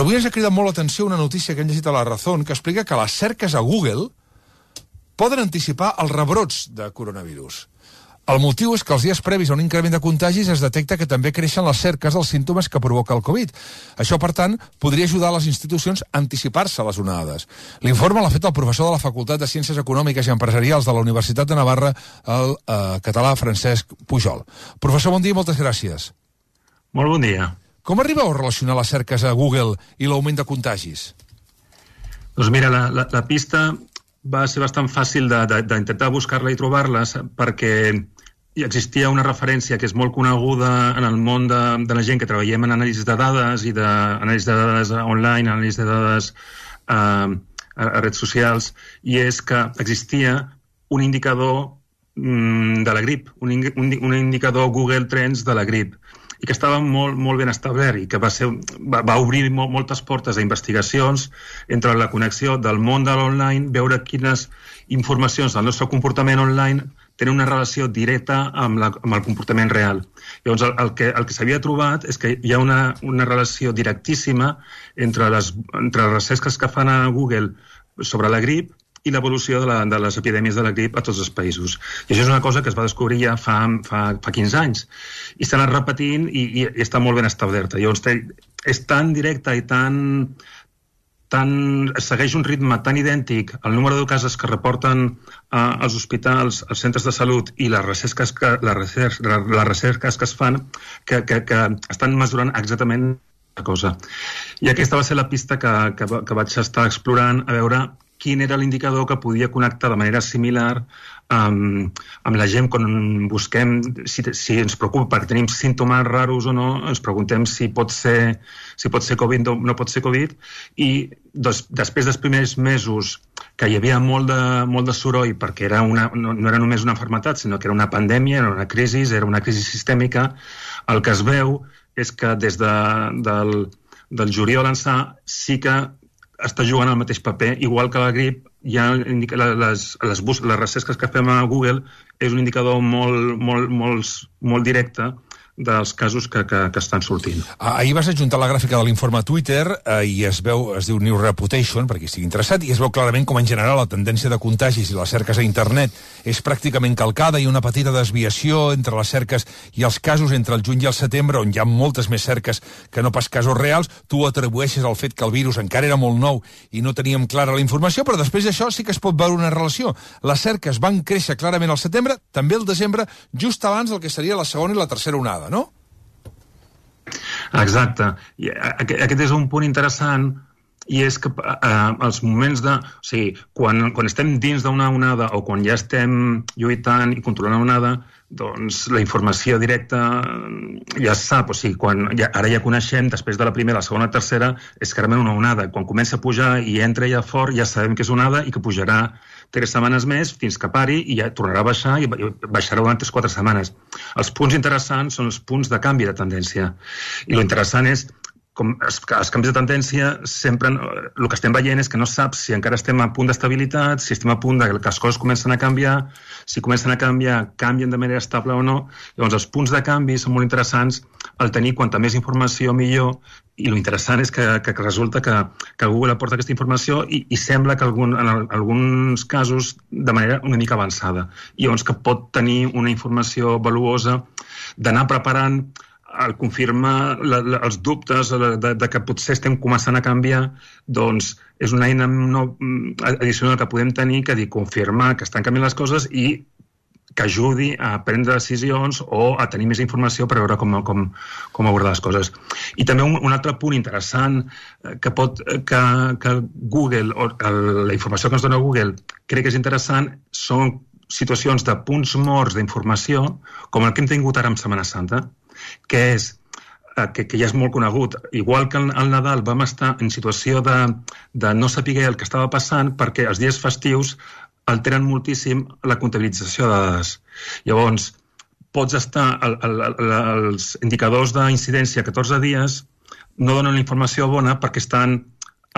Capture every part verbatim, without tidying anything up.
Però avui ens ha cridat molt l'atenció una notícia que hem llegit a La Razón que explica que les cerques a Google poden anticipar els rebrots de coronavirus. El motiu és que els dies previs a un increment de contagis es detecta que també creixen les cerques dels símptomes que provoca el Covid. Això, per tant, podria ajudar les institucions a anticipar-se a les onades. L'informe l'ha fet el professor de la Facultat de Ciències Econòmiques i Empresarials de la Universitat de Navarra, el eh, català Francesc Pujol. Professor, bon dia i moltes gràcies. Molt bon dia. Com arribeu a relacionar les cerques a Google i l'augment de contagis? Doncs mira, la, la, la pista va ser bastant fàcil d'intentar buscar-la i trobar-la perquè existia una referència que és molt coneguda en el món de, de la gent que treballem en anàlisi de dades i d'anàlisi de dades online, anàlisi de dades eh, a, a redes socials, i és que existia un indicador mm, de la grip, un, un, un indicador Google Trends de la grip, i que estava molt, molt ben establert i que va, ser, va, va obrir molt, moltes portes a investigacions entre la connexió del món de l'online, veure quines informacions del nostre comportament online tenen una relació directa amb, la, amb el comportament real. Llavors, el, el que, el que s'havia trobat és que hi ha una, una relació directíssima entre les, entre les recerques que fan a Google sobre la grip i l'evolució de, la, de les epidèmies de la grip a tots els països. I això és una cosa que es va descobrir ja fa, fa, fa quinze anys. I s'ha anat repetint i, i, i està molt ben establerta. Llavors, és tan directa i tan, tan... segueix un ritme tan idèntic al número de casos que reporten eh, als hospitals, als centres de salut i les recerques que, les recerques, les recerques que es fan que, que, que estan mesurant exactament la cosa. I aquesta va ser la pista que, que, que vaig estar explorant a veure quin era l'indicador que podia connectar de manera similar um, amb la gent quan busquem si, si ens preocupa perquè tenim símptomes raros o no, ens preguntem si pot ser, si pot ser Covid o no pot ser Covid, i des, després dels primers mesos que hi havia molt de, molt de soroll perquè era una, no, no era només una malaltia, sinó que era una pandèmia, era una crisi, era una crisi sistèmica, el que es veu és que des de, del, del juliol ençà sí que està jugant al mateix paper, igual que la grip, ja les, les, les recerques que fem a Google és un indicador molt, molt, molt, molt directe dels casos que, que, que estan sortint. Ahir vas adjuntar la gràfica de l'informe a Twitter eh, i es veu, es diu New Reputation, per qui estigui interessat, i es veu clarament com en general la tendència de contagis i les cerques a internet és pràcticament calcada i una petita desviació entre les cerques i els casos entre el juny i el setembre, on hi ha moltes més cerques que no pas casos reals. Tu atribueixes al fet que el virus encara era molt nou i no teníem clara la informació, però després d'això sí que es pot veure una relació. Les cerques van créixer clarament al setembre, també al desembre, just abans del que seria la segona i la tercera onada, no? Exacte. I aquest és un punt interessant, i és que eh, els moments de... O sigui, quan, quan estem dins d'una onada o quan ja estem lluitant i controlant una onada, doncs la informació directa ja es sap. O sigui, quan ja, ara ja coneixem, després de la primera, la segona, la tercera, és clarament una onada. Quan comença a pujar i entra ja fort, ja sabem que és onada i que pujarà tres setmanes més fins que pari i ja tornarà a baixar i baixarà durant tres o quatre setmanes. Els punts interessants són els punts de canvi de tendència. I lo interessant és com els, els canvis de tendència sempre, el que estem veient és que no saps si encara estem a punt d'estabilitat, si estem a punt de que les coses comencen a canviar, si comencen a canviar, canvien de manera estable o no. Llavors els punts de canvi són molt interessants, el tenir quanta més informació millor, i lo interessant és que, que resulta que, que Google aporta aquesta informació i, i sembla que algun, en alguns casos de manera una mica avançada. I llavors que pot tenir una informació valuosa d'anar preparant al confirmar la, la, els dubtes de, de que potser estem començant a canviar, doncs és una eina no, addicional que podem tenir que dir, confirmar que estan canviant les coses i que ajudi a prendre decisions o a tenir més informació per veure com, com, com abordar les coses. I també un, un altre punt interessant que, pot, que, que Google, o la informació que ens dona Google, crec que és interessant, són situacions de punts morts d'informació, com el que hem tingut ara en Setmana Santa, que és que, que ja és molt conegut. Igual que al Nadal vam estar en situació de, de no saber el que estava passant perquè els dies festius alteren moltíssim la comptabilització de dades. Llavors, pots estar... El, el, el, els indicadors d'incidència catorze dies no donen la informació bona perquè estan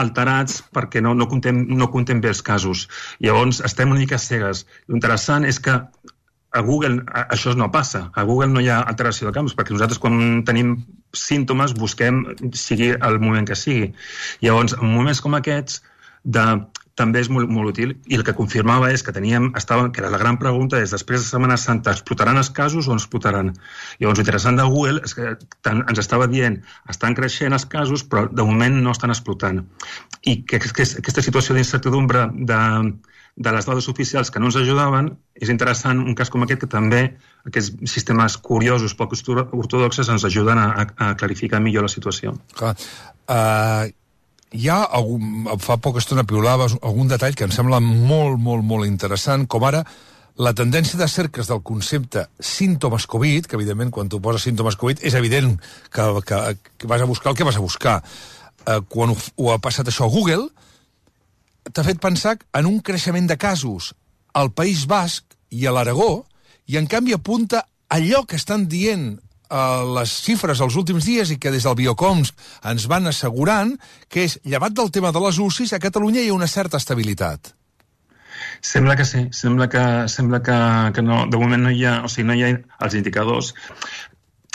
alterats perquè no, no, contem, no contem bé els casos. Llavors, estem una mica cegues. L'interessant és que a Google això no passa. A Google no hi ha alteració de campos, perquè nosaltres quan tenim símptomes busquem, sigui el moment que sigui. Llavors, en moments com aquests, de, també és molt, molt útil, i el que confirmava és que teníem, estava, que la gran pregunta és, després de Setmana Santa, explotaran els casos o no explotaran? Llavors, l'interessant de Google és que tant, ens estava dient, estan creixent els casos, però de moment no estan explotant. I que, que, que aquesta situació d'incertidumbre de de les dades oficials que no ens ajudaven, és interessant un cas com aquest que també aquests sistemes curiosos, poc ortodoxes, ens ajuden a, a clarificar millor la situació. Clar. Uh, hi ha, algun, fa poca estona piulaves algun detall que em sembla molt, molt, molt interessant, com ara la tendència de cerques del concepte símptomes Covid, que evidentment quan tu poses símptomes Covid és evident que, que, que vas a buscar el que vas a buscar. Uh, quan ho, ho ha passat això a Google, t'ha fet pensar en un creixement de casos al País Basc i a l'Aragó, i en canvi apunta allò que estan dient eh, les xifres els últims dies i que des del Biocoms ens van assegurant, que és, llevat del tema de les U C Is, a Catalunya hi ha una certa estabilitat. Sembla que sí, sembla que, sembla que, que no, de moment no hi ha, o sigui, no hi ha els indicadors.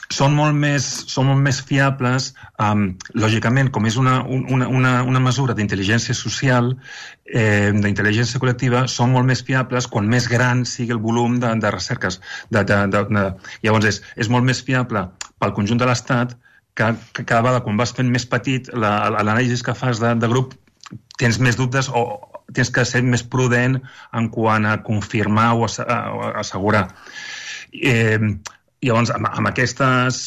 Són molt més, són molt més fiables, um, lògicament, com és una, una, una, una mesura d'intel·ligència social, eh, d'intel·ligència col·lectiva, són molt més fiables quan més gran sigui el volum de, de recerques. De, de, de, de... Llavors, és, és molt més fiable pel conjunt de l'Estat que, que cada vegada, quan vas fent més petit, l'anàlisi que fas de, de grup, tens més dubtes o tens que ser més prudent en quant a confirmar o assegurar. Eh, Llavors, amb, amb aquestes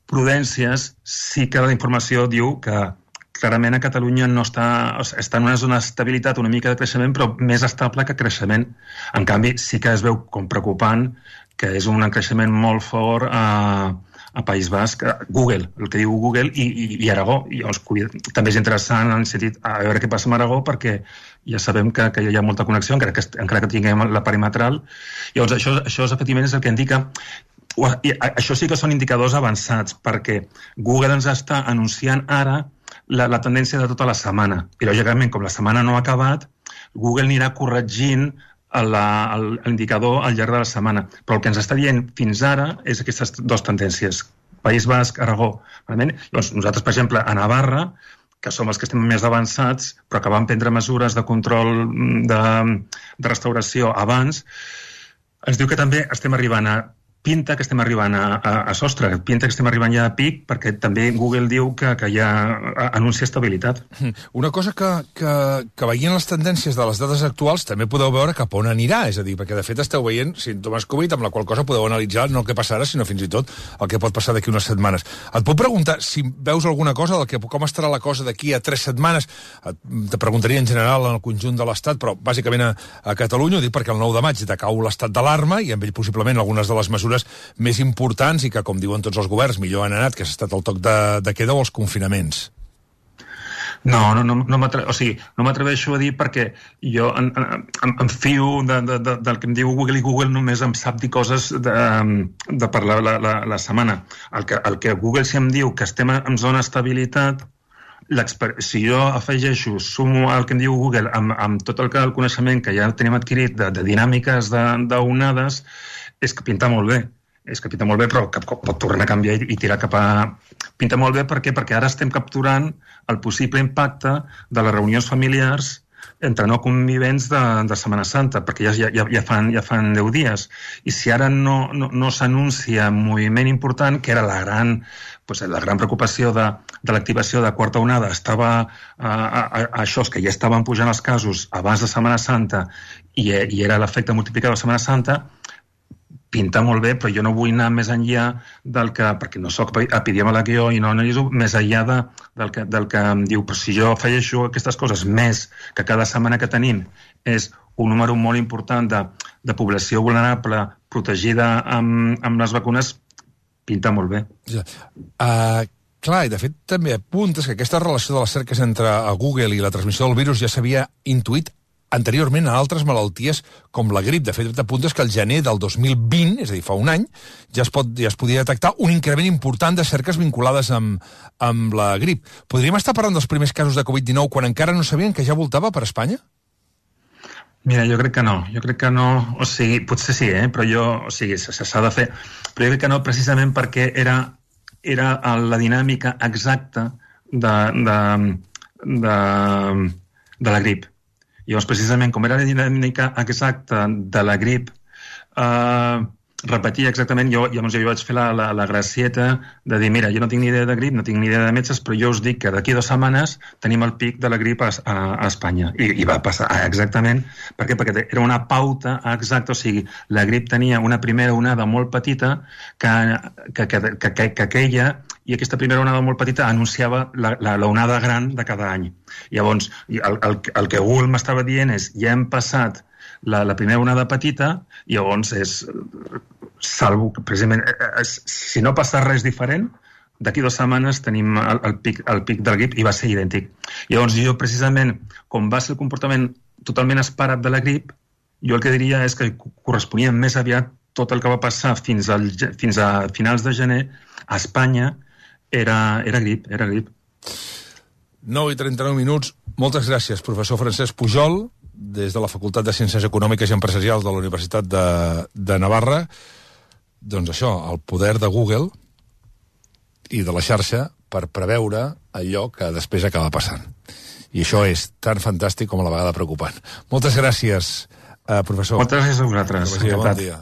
prudències, sí que la informació diu que clarament a Catalunya no està, està en una zona d'estabilitat, una mica de creixement, però més estable que creixement. En canvi, sí que es veu com preocupant que és un creixement molt fort a, a País Basc, a Google, el que diu Google, i, i, i Aragó. I llavors, també és interessant en el sentit a veure què passa amb Aragó, perquè ja sabem que, que hi ha molta connexió, encara que, encara que tinguem la perimetral. Llavors, això, això efectivament és el que indica. I això sí que són indicadors avançats, perquè Google ens està anunciant ara la, la tendència de tota la setmana. I, lògicament, com la setmana no ha acabat, Google anirà corregint l'indicador al llarg de la setmana. Però el que ens està dient fins ara és aquestes dues tendències, País Basc, Aragó. Llavors, nosaltres, per exemple, a Navarra, que som els que estem més avançats, però que vam prendre mesures de control de, de restauració abans, ens diu que també estem arribant a pinta que estem arribant a, a, a sostre, pinta que estem arribant ja a pic, perquè també Google diu que, que ja anuncia estabilitat. Una cosa que, que, que veient les tendències de les dades actuals també podeu veure cap on anirà, és a dir, perquè de fet esteu veient símptomes Covid, amb la qual cosa podeu analitzar no el que passarà, sinó fins i tot el que pot passar d'aquí unes setmanes. Et puc preguntar si veus alguna cosa del que com estarà la cosa d'aquí a tres setmanes? Et, te preguntaria en general en el conjunt de l'Estat, però bàsicament a, a Catalunya, ho dic perquè el nou de maig decau l'estat d'alarma i amb ell possiblement algunes de les mesures més importants i que, com diuen tots els governs, millor han anat, que ha estat el toc de, de queda o els confinaments. No, no, no, no m'atreveixo, o sigui, no m'atreveixo a dir perquè jo em, em, em fio de, de, de, del que em diu Google, i Google només em sap dir coses de, de per la, la, la, la setmana. El que, el que Google sí em diu que estem en zona d'estabilitat, si jo afegeixo, sumo el que em diu Google amb, amb tot el, el coneixement que ja tenim adquirit de, de dinàmiques d'onades, és que pinta molt bé, és que pinta molt bé, però que pot tornar a canviar i tirar cap a... Pinta molt bé, per què? Perquè ara estem capturant el possible impacte de les reunions familiars entre no convivents de, de Setmana Santa, perquè ja, ja, ja, fan, ja fan deu dies. I si ara no, no, no s'anuncia un moviment important, que era la gran, pues, la gran preocupació de, de l'activació de quarta onada, estava a, a, a això, que ja estaven pujant els casos abans de Setmana Santa i, i era l'efecte multiplicador de Setmana Santa, pinta molt bé, però jo no vull anar més enllà del que, perquè no soc epidemiòleg i no analitzo, més enllà de, del, que, del que em diu, però si jo afegeixo aquestes coses més que cada setmana que tenim és un número molt important de, de població vulnerable protegida amb, amb les vacunes, pinta molt bé. Ja. Uh, clar, i de fet també apuntes que aquesta relació de les cerques entre Google i la transmissió del virus ja s'havia intuït anteriorment a altres malalties com la grip. De fet, t'apuntes que el gener del dos mil vint, és a dir, fa un any, ja es, pot, ja es podia detectar un increment important de cerques vinculades amb, amb la grip. Podríem estar parlant dels primers casos de covid dinou quan encara no sabien que ja voltava per Espanya? Mira, jo crec que no, jo crec que no, o sigui, potser sí, eh? Però jo, o sigui, s'ha de fer, però jo crec que no precisament perquè era era la dinàmica exacta de, de, de, de la grip. Llavors, precisament, com era la dinàmica exacta de la grip, eh, repetia exactament, jo, llavors jo vaig fer la, la, la gracieta de dir, mira, jo no tinc ni idea de grip, no tinc ni idea de metges, però jo us dic que d'aquí dues setmanes tenim el pic de la grip a, a, a Espanya. I, I va passar exactament, per què? Perquè era una pauta exacta, o sigui, la grip tenia una primera onada molt petita que, que, que, que, que, que queia, i aquesta primera onada molt petita anunciava la, la, la onada gran de cada any. Llavors, el, el, el que Google m'estava dient és, ja hem passat la, la primera onada petita, i llavors és... salvo que, precisament, si no passa res diferent, d'aquí dues setmanes tenim el, el, pic, el pic del grip i va ser idèntic. Llavors jo, precisament, com va ser el comportament totalment esperat de la grip, jo el que diria és que corresponia més aviat tot el que va passar fins, al, fins a finals de gener a Espanya era, era grip, era grip. nou i trenta-nou minuts. Moltes gràcies, professor Francesc Pujol, des de la Facultat de Ciències Econòmiques i Empresarials de la Universitat de, de Navarra. Doncs això, el poder de Google i de la xarxa per preveure allò que després acaba passant. I això és tan fantàstic com a la vegada preocupant. Moltes gràcies, eh, professor. Moltes gràcies a vosaltres. Bon dia.